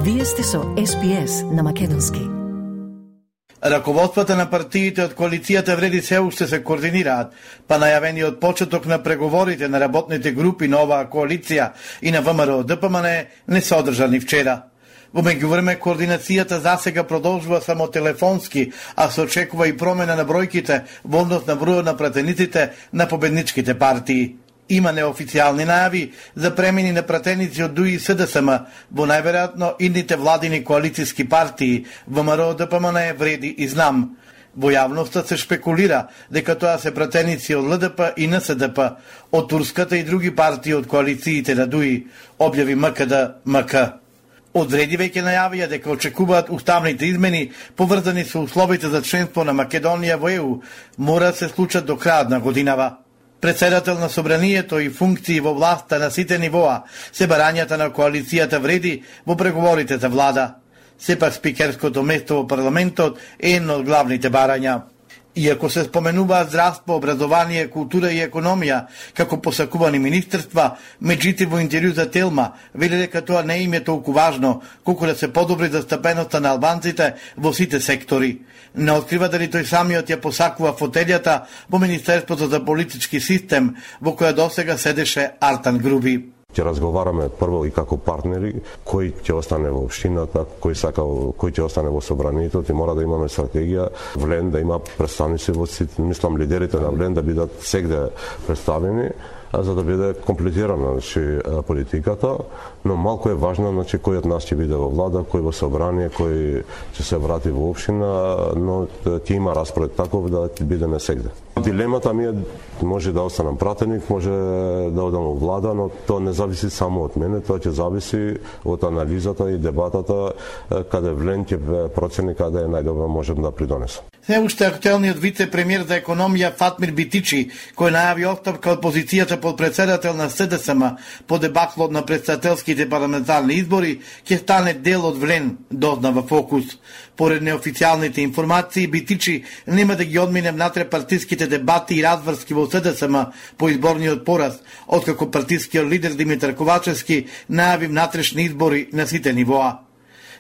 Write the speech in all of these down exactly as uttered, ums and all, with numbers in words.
Вие сте со Ес Би Ес на македонски. Раководствата на партиите од коалицијата Вреди се уште се координираат, па најавениот почеток на преговорите на работните групи на оваа коалиција и на ВМРО Д П М Н не се одржани вчера. Во меѓувреме, координацијата засега продолжува само телефонски, а се очекува и промена на бројките во однос на бројот на пратениците на победничките партии. Има неофицијални најави за премени на пратеници од Д У И и С Д С М во најверојатно идните владини коалицијски партии ВМРО Д П М Н, Вреди и Знам. Во јавноста се шпекулира дека тоа се пратеници од Л Д П и Н С Д П, од Турската и други партии од коалициите на Д У И, објави М К Д М К. Од Вреди веќе најавија дека очекуваат уставните измени поврзани со условите за членство на Македонија во Е У мора да се случат до крајот на годинава. Председател на собранието и функции во власта на сите нивоа се барањата на коалицијата Вреди во преговорите за влада. Сепак спикерското место во парламентот е едно од главните барања. Иако се споменуваат здравство, образование, култура и економија како посакувани министерства, меѓутоа во интервју за Телма вели дека тоа не им е толку важно колку да се подобри застапеноста на албанците во сите сектори. Не открива дали тој самиот ја посакува фотелјата во Министерството за политички систем во која досега седеше Артан Груби. Ќе разговараме прво и како партнери, кој ќе остане во општината, кој сака, кој ќе остане во собранието, и мора да имаме стратегија, Влен да има представници во сите, мислам лидерите на Влен да бидат сегде представени, за да биде комплетирана, значи, политиката, но малку е важно, значи, кој од нас ќе биде во влада, кој во собрание, кој ќе се врати во општина, но ќе има распоред таков да бидеме сегде. Дилемата ми е, може да останам пратеник, може да одам во влада, но тоа не зависи само од мене, тоа ќе зависи од анализата и дебатата, каде Влен ќе процени каде е најдобро можем да придонесам. Се уште актуелниот вице-премиер за економија Фатмир Битичи, кој најави оставка од позицијата под председател на С Д С М по дебаклот на претседателските парламентарни избори, ќе стане дел од Влен, дозна во Фокус. Поред неофицијалните информации, Битичи нема да ги одмине внатре партиските дебати и разврски во С Д С М по изборниот пораз, откако партискиот лидер Димитар Ковачевски најави внатрешни избори на сите нивоа.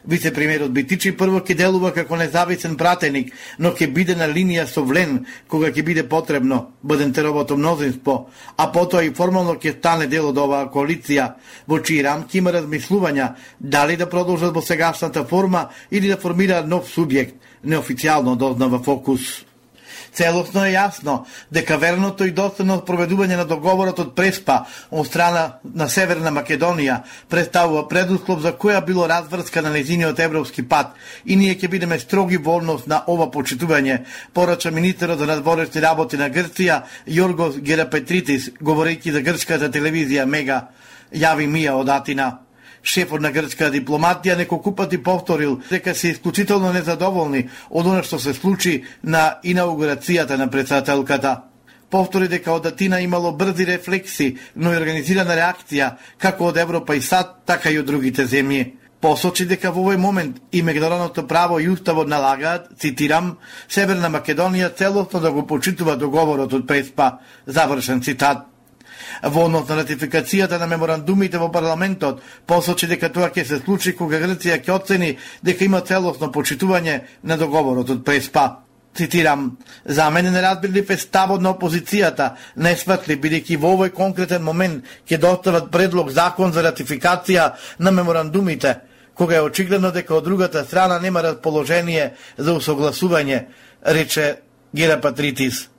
Вице-премиерот Битичи прво ќе делува како независен пратеник, но ќе биде на линија со Влен кога ќе биде потребно, Бадентеровото мнозинство, а потоа и формално ќе стане дел од оваа коалиција, во чии рамки има размислувања дали да продолжат во сегашната форма или да формираат нов субјект, неофицијално дозна во Фокус. Целосно е јасно дека верното и доследно проведување на договорот од Преспа од страна на Северна Македонија представува предуслов за која било разврска на нејзиниот европски пат и ние ќе бидеме строги во однос на ова почитување, порача министерот за надворешни работи на Грција Јоргос Герапетритис, говорејќи за грчката телевизија Мега, јави Мија од Атина. Шефот на грчка дипломатија неколку пати повторил дека се исклучително незадоволни од она што се случи на инаугурацијата на председателката. Повтори дека од Атина имало брзи рефлекси, но и организирана реакција како од Европа и САД, така и од другите земји. Посочи дека во овој момент и меѓународното право и уставот налагаат, цитирам, Северна Македонија целосно да го почитува договорот од Преспа, завршен цитат. Во однос на ратификацијата на меморандумите во парламентот, посочи дека тоа ќе се случи кога Грција ќе оцени дека има целосно почитување на договорот од Преспа. Цитирам, за мене неразбирлив е ставот на опозицијата, несватли, бидејќи во овој конкретен момент ќе достават предлог закон за ратификација на меморандумите, кога е очигледно дека од другата страна нема расположение за усогласување, рече Герапетритис.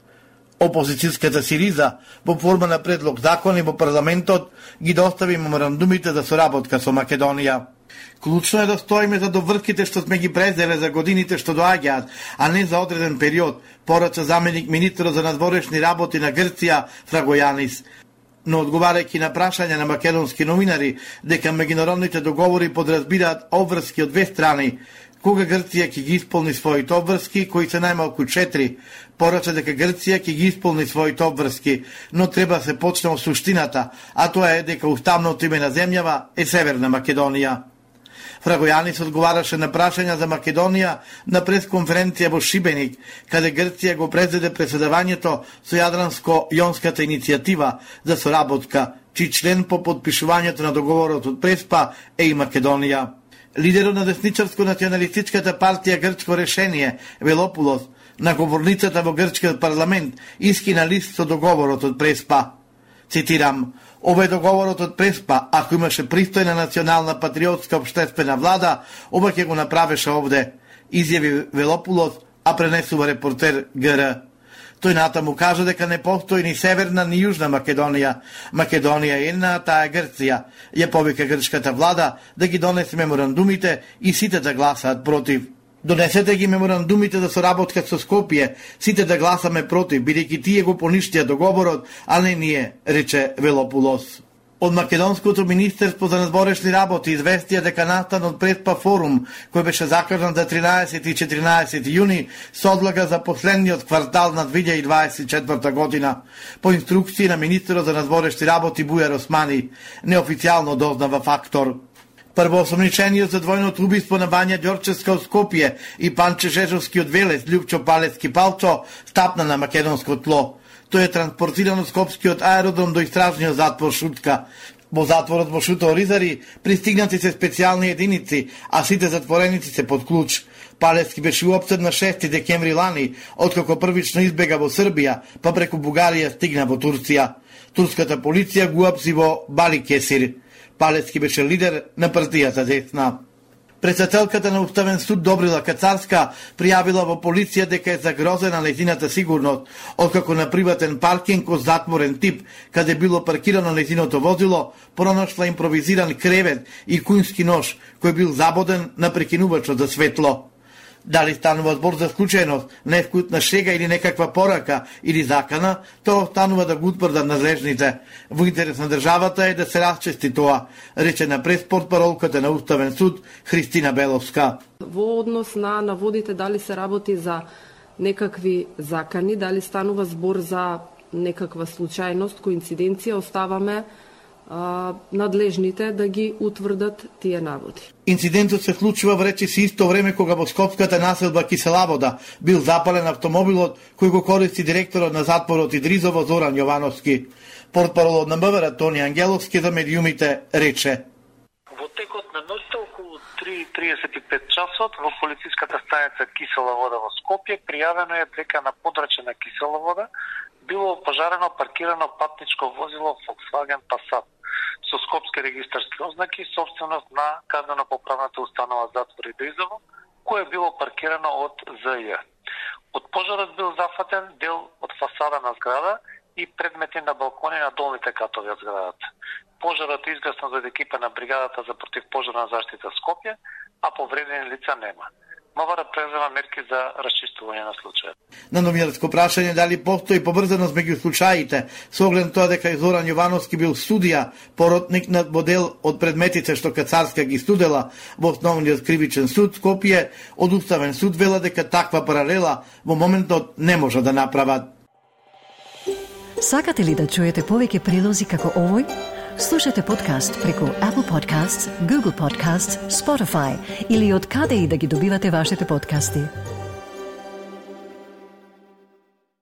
Опозицијската Сириза, во форма на предлог закони во парламентот, ги достави меморандумите за соработка со Македонија. Клучно е да стоиме за довртките што сме ги презеле за годините што доаѓаат, а не за одреден период, порача заменик министерот за надворешни работи на Грција Фрагојанис. Но одговарајќи на прашања на македонски новинари дека меѓународните договори подразбираат обврски од две страни, кога Грција ќе ги исполни своите обврски, кои се најмалку четири, порача дека Грција ќе ги исполни своите обврски, но треба да се почне од суштината, а тоа е дека уставното име на земјава е Северна Македонија. Фрагојанис одговараше на прашања за Македонија на пресконференција во Шибеник, каде Грција го презеде преседавањето со Јадранско-Јонската иницијатива за соработка, чиј член по подпишувањето на договорот од Преспа е и Македонија. Лидерот на десничарско-националистичката партија Грчко решение, Велопулос, на говорницата во грчкиот парламент искина лист со договорот од Преспа. Цитирам: "Ова е договорот од Преспа, ако имаше пристојна национална патриотска општествена влада, ова ќе го направеше овде", изјави Велопулос, а пренесува репортер Г Р. Тој натаму кажа дека не постои ни Северна ни Јужна Македонија. Македонија е една, таа е Грција. Ја повика грчката влада да ги донесе меморандумите и сите да гласаат против. "Донесете ги меморандумите за соработка со Скопје, сите да гласаме против, бидејќи тие го поништија договорот, а не ние", рече Велопулос. Од Македонското министерство за надворешни работи известија дека настанот Преспа форум, кој беше закажан за тринаесети и четиринаесети јуни, се одлага за последниот квартал на две илјади дваесет и четврта година, по инструкции на министерот за надворешни работи Бујар Османи, неофицијално дознава фактор. Првоосомничениот за двојното убиство на Вања Ѓорчевска од Скопје и Панче Жежовски од Велес, Љупчо Палецки Палчо, стапна на македонско тло. Тој е транспортиран од скопскиот аеродром до истражниот затвор Шутка. Во затворот во Шуто Оризари пристигнати се специјални единици, а сите затвореници се под клуч. Палецки беше уапсен на шести декември лани, откако првично избега во Србија, па преку Бугарија стигна во Турција. Турската полиција го уапси во Баликесир. Палецки беше лидер на партијата Десна. Председателката на Уставен суд Добрила Кацарска пријавила во полиција дека е загрозена нејзината сигурност, откако на приватен паркинг од затворен тип, каде било паркирано нејзиното возило, пронашла импровизиран кревет и кујнски нож, кој бил забоден на прекинувачот за светло. Дали станува збор за случајност, невкутна шега или некаква порака или закана, тоа останува да го утврдат надлежните. Во интерес на државата е да се расчисти тоа, рече на преспортпаролката на Уставен суд Христина Беловска. Во однос на наводите дали се работи за некакви закани, дали станува збор за некаква случајност, коинциденција, оставаме а, надлежните да ги утврдат тие наводи. Инцидентот се случува во речиси исто време кога во скопската населба Киселавода бил запален автомобилот кој го користи директорот на затворот Идризово Зоран Јовановски. Портпаролот на МВР Тони Ангеловски за медиумите рече: "Во текот на ноќта околу три и триесет и пет часот во полициската станица Кисела вода во Скопје пријавено е дека на подрачје на Кисела вода било опожарено паркирано патничко возило Volkswagen Passat со скопски регистарски ознаки, собственост на казнено-поправната установа затвор Идризово, кое било паркирано од З Ј. Од пожарот бил зафатен дел од фасада на зграда и предмети на балкони на долните катови од зградата. Пожарот е изгаснат од екипа на бригадата за противпожарна заштита Скопје, а повредени лица нема. МВР презема мерки за расчистување на случајот. На новинарско прашање дали постои поврзаност меѓу случаите, со оглед тоа дека Зоран Јовановски бил судија, поротник на модел од предметите што Кацарска ги студела во основниот кривичен суд Скопје, од Уставен суд вела дека таква паралела во моментот не може да направат. Сакате ли да чуете повеќе прилози како овој? Слушате подкаст преку Apple Podcasts, Google Podcasts, Spotify или од каде и да ги добивате вашите подкасти.